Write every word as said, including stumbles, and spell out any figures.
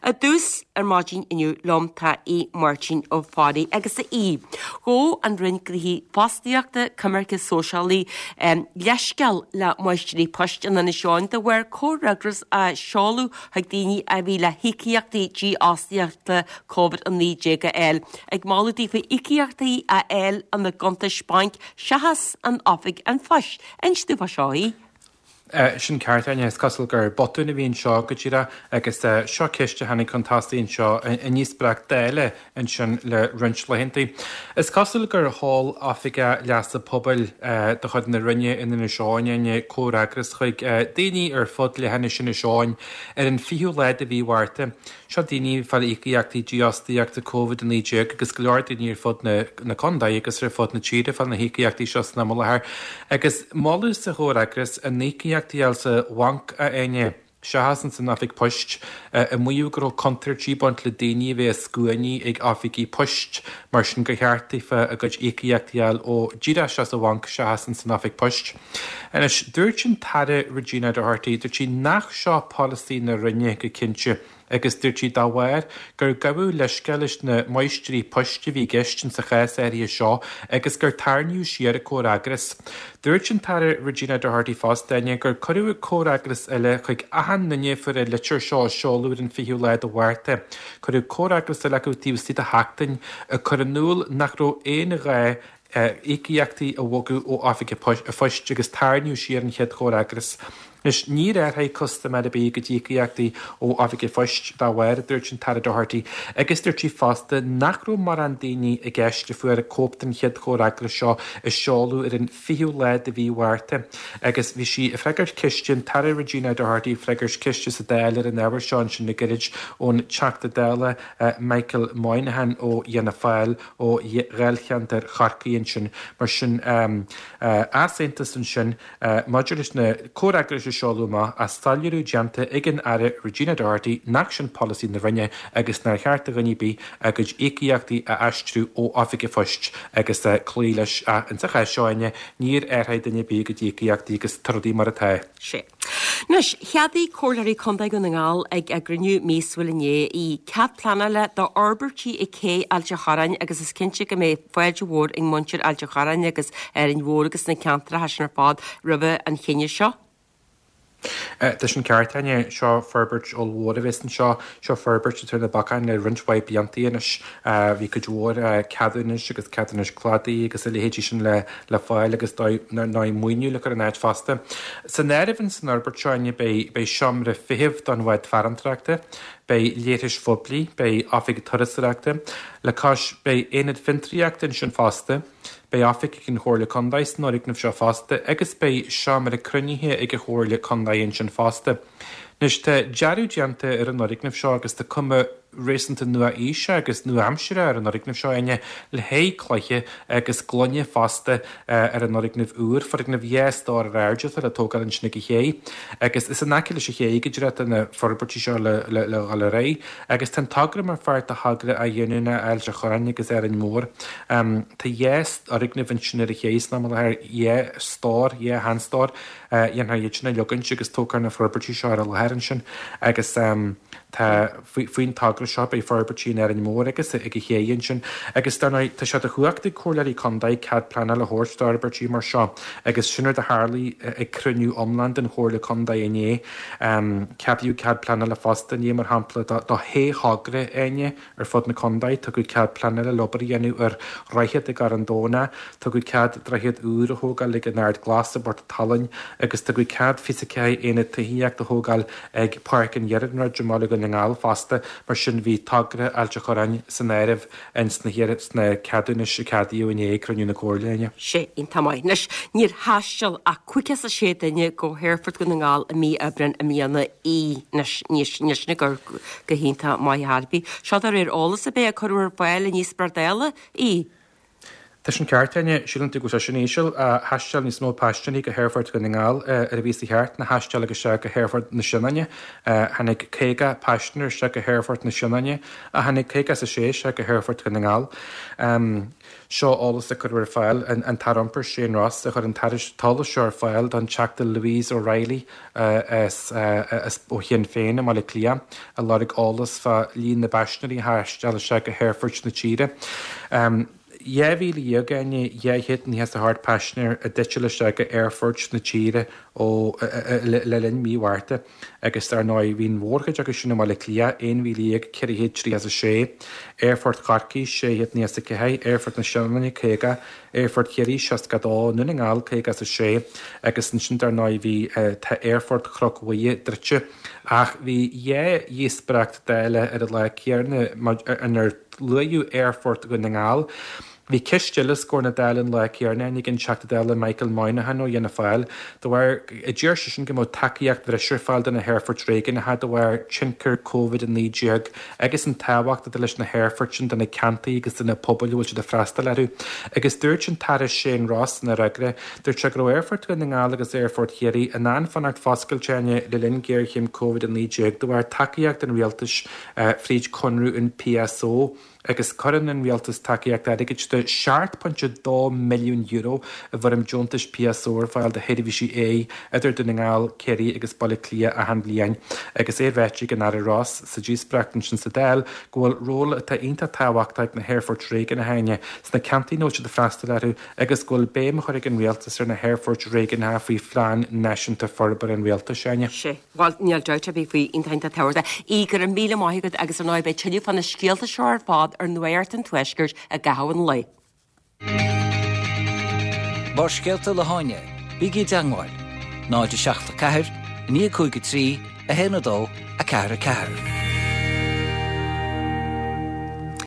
I dtús ar maidin inniu liom tá Aodh Máirtín Ó Fearraigh agus a Aoidh. Ghabh an Roinn Gnóthaí Fostaíochta, Coimirce Sóisialaí um, leithscéal le máistrí poist in Inis Eoghain de bharr comhfhreagras a seoladh chuig daoine a bhí le híocaíochtaí dífhostaíochta Covid a naoi déag a fháil, ag moladh daofa íocaíochtaí a fháil ina gcuntais bainc seachas in oifig an phoist. Inis dúinn fá seo a Aoidh. Sin ceart, Áine, is cosúil gur botún a bhí anseo go díreach agus seo ceist a tháinig chun tosaigh anseo i ndíospóireacht Dála ansin le roinnt laethanta. Is cosúil gur sheol Oifigeach Leasa Pobail de chuid na Roinne in Inis Eoghain, Áine, comhfhreagras chuig daoine ar fud leithinis Inis Eoghain ar an fichiú lá de mhí Mhárta. Seo daoine ag fáil íocaíochtaí dífhostaíochta Covid a naoi déag agus go leor daoine ar fud na contae agus ar fud na tíre ag fáil na híocaíochtaí seo san am i láthair. Agus moladh sa chomhfhreagras a n-íocaíochtaí a fháil sa bhanc, a Áine, seachas ins an oifig poist, ag maíomh go raibh contúirtí ag baint le daoine a bheith i scuainí ag oifigí poist, mar sin gur cheart daofa a gcuid íocaíochtaí a fháil ó díreach isteach sa bhanc seachas ins an oifig poist. Anois, dúirt an tAire Regina Doherty, dúirt sí nach seo polasaí na Roinne go cinnte, agus dúirt sí dá bharr gur gabhadh leithscéal leis na máistrí poist a bhí i gceist insa chás áirithe seo agus gur tarraingíodh siar an comhfhreagras. Dúirt an tAire Regina Doherty fosta, Áine, gur cuireadh comhfhreagras eile chuig achan duine a fuair an litir seo a seoladh ar an fichiú lá de Mhárta. Cuireadh comhfhreagras eile acu taobh istigh de sheachtain ag cur in iúl nach raibh aon ghá íocaíochtaí a bhogadh ó oifig an phoist agus tarraingíodh siar an chéad chomhfhreagras. Anois, níor athraigh custaiméir ar bith a gcuid íocaíochtaí ó oifig an phoist dá bharr, a dúirt an tAire Doherty, agus dúirt sí fosta nach raibh mórán daoine i gceist a fuair cóip den chéad chomhfhreagras seo a seoladh ar an fichiú lá de mhí Mhárta. Agus bhí sí ag freagairt ceiste, an tAire Regina Doherty ag freagairt ceiste sa Dáil ar an ábhar seo ansin le gairid ón Teachta Dála Michael Moynihan ó Fhianna Fáil ó dháilcheantar Chorcaí ansin. Mar sin, easaontas ansin maidir leis na comhfhreagrais a seoladh amach ach soiléiriú déanta ag an Aire Regina Doherty nach sin polasaí na Roinne agus nár cheart do dhuine ar bith a gcuid íocaíochtaí a aistriú ó oifig an phoist agus cloí leis. Ach insa chás seo, Áine, níor athraigh duine ar bith a gcuid íocaíochtaí agus tá rudaí mar atá. Sea. Anois, cheadaigh Comhairleoirí Contae Dhún na nGall ag a gcruinniú míosúil inné í cead pleanála d'fhorbairtí ag Cé Ailt a' Chorráin agus is cinnte go mbeidh fáilte mhór ag muintir Ailt a' Chorráin agus Árainn Mhór agus na ceantracha sin ar fad roimhe an chinneadh seo. Tá sin ceart, Áine. Seo forbairt ollmhór a bheas anseo. Seo forbairt atá ar na bacáin le roinnt mhaith blianta anois. Bhí cuid mhór ceadúnais agus ceadúnais cladaigh agus a leithéidí sin le le fáil agus dar ndóigh maoiniú le cur in áit fosta. San áireamh ins an fhorbairt seo, Áine, beidh beidh seomra feithimh don bhád farantóireachta, beidh leithris phoiblí, beidh oifig turasóireachta, le cois beidh aonad fiontraíochta ansin fosta. Beidh oifig ag an Chomhairle Contae san fhoirgneamh seo fosta agus beidh seomra cruinnithe ag an Chomhairle Contae ansin fosta. Anois tá dearadh déanta ar an fhoirgneamh seo agus tá cuma réasúnta nua-aoise agus nua-aimseartha ar an fhoirgneamh seo, Áine, le haghaidh cloiche agus gloine fosta ar an fhoirgneamh úr, foirgneamh dhá stór ar airde atá le tógáil ansin ag an ché agus is in aice leis an ché go díreach atá na forbairtí seo le le dhul ar aghaidh agus tá an togra mar pháirt de thogra athghiniúna Ailt a' Chorráin agus Árainn Mhór. Tá dhá fhoirgneamh ansin ar an ché san am i láthair, dhá stór, dhá sheanstór, dhéanfar iad sin a leogaint agus tógfar na forbairtí seo ar an láthair ansin agus tá faoin togra seo beidh forbairtí in Árainn Mhór agus ag an ché ansin agus dar ndóigh tá sé de chumhacht ag comhairleoirí contae cead pleanála a thabhairt d'fhorbairtí mar seo agus sin rud a tharlaigh ag cruinniú iomlán den Chomhairle Contae inné. Ceadaíodh cead pleanála fosta inné mar shampla do shé thogra, Áine, ar fud na contae. Tugadh cead pleanála le obair a dhéanamh ar dhroichead i gCarn Domhnach, tugadh cead droichead úr a thógáil ag an Ard Glas i bPort an tSalainn agus tugadh cead fiche ceathair aonad tithíochta a thógáil ag Páirc an Iarnróid i mBaile Dhún na nGall fosta. Mar sin bhí togra Ailt a' Chorráin san áireamh ins na sna ceadúnais a ceadaíodh inné ag cruinniú na Comhairle, Áine. Sé iontach maith. Anois, níor thaistil ach caoga is a sé duine go hAerfort Dhún na nGall i mí Aibreáin i mbliana í. Anois, níl sin ag cur go hiontach maith ar chor ar bith. Seo de réir eolas a bheith a cuireadh ar fáil i ndíospóireacht Dála í. Tá sin ceart, Áine, síleann tú go bhfuil sé sin íseal. Thaisteal níos mó paisinéirí go hAerfort Dhún na nGall ar a bhí sa cheart ná thaisteal isteach go hAerfort na Sionainne. Tháinig caoga paisinéir isteach go hAerfort na Sionainne ach tháinig caoga is a sé isteach go hAerfort Dhún na nGall. Seo eolas a cuireadh ar fáil, an tAire Iompair Shane Ross a chuir an t-eolas seo ar fáil don Teachta Louise O'Reilly as ó Shinn Féin i mBaile Átha Cliath a lorg eolas fá líon na bpaisinéirí a thaisteal isteach go haerfoirt na tíre. Dhá mhíle dhéag Áine dhá chéad nócha is a hocht paisinéir a d'eitil isteach go aerfoirt na tíre ó le linn mí Mhárta agus dar ndóigh bhí an mhórchuid acu sin i mBaile Átha Cliath, aon mhíle dhéag ceithre chéad tríocha is a sé, Aerfort Chorcaí, sé chéad nócha is a ceathair, Aerfort na Sionainne, caoga, Aerfort Chiarraí, seasca a dó, Dún na nGall, caoga is a sé agus ansin dar ndóigh bhí tá Aerfort Chnoc Mhuire druidte ach bhí dhá dhíospóireacht Dála ar an lá céanna inar luadh Aerfort Dhún na nGall. Bhí ceist eile os comhair na Dála an lá céanna ag an Teachta Dála Michael Moynihan ó Fhianna Fáil de bharr a d'iarr seisean go mbeadh tacaíocht bhreise ar fáil do na haerfoirt réigiúnacha de bharr tionchar Covid a naoi déag agus an tábhacht atá leis na haerfoirt sin do na ceantair agus do na pobail a bhfuil siad ag freastal orthu. Agus dúirt an tAire Shane Ross ina fhreagra, dúirt sé go raibh Aerfort Dhún na nGall agus Aerfort Chiarraí in ann fanacht foscailte le linn géarchéim Covid a naoi déag de bharr tacaíocht an rialtais fríd conradh an P S O agus cuireann an rialtas tacaíocht airgid de seacht pointe dó milliún euro i bhfoirm deontais P S O ar fáil do sheirbhísí aeir idir Dún na nGall, Ciarraí agus Baile Átha Cliath achan bhliain agus é ráite ag an Aire Ross sa díospóireacht ansin sa Dáil go bhfuil ról atá iontach tábhachtach ag na haerfoirt réigiúnacha sna ceantair a bhfuil siad ag freastal orthu agus go bhfuil béim á chur ag an rialtas ar na haerfoirt réigiúnacha faoi phlean náisiúnta forbartha an rialtais Áine. Sé Well níl dabht ar bith faoi iontach tábhachtach. Í go raibh míle maith agat agus ar ndóigh beidh tuilleadh fá na scéalta seo ar fad ar Nuacht an Tuaiscirt i gcaitheamh an lae. Barrscéalta le hÁine, bígí i dteagmháil, náid a seacht a ceathair, naoi cúig a trí, a haon a dó, a ceathair a ceathair.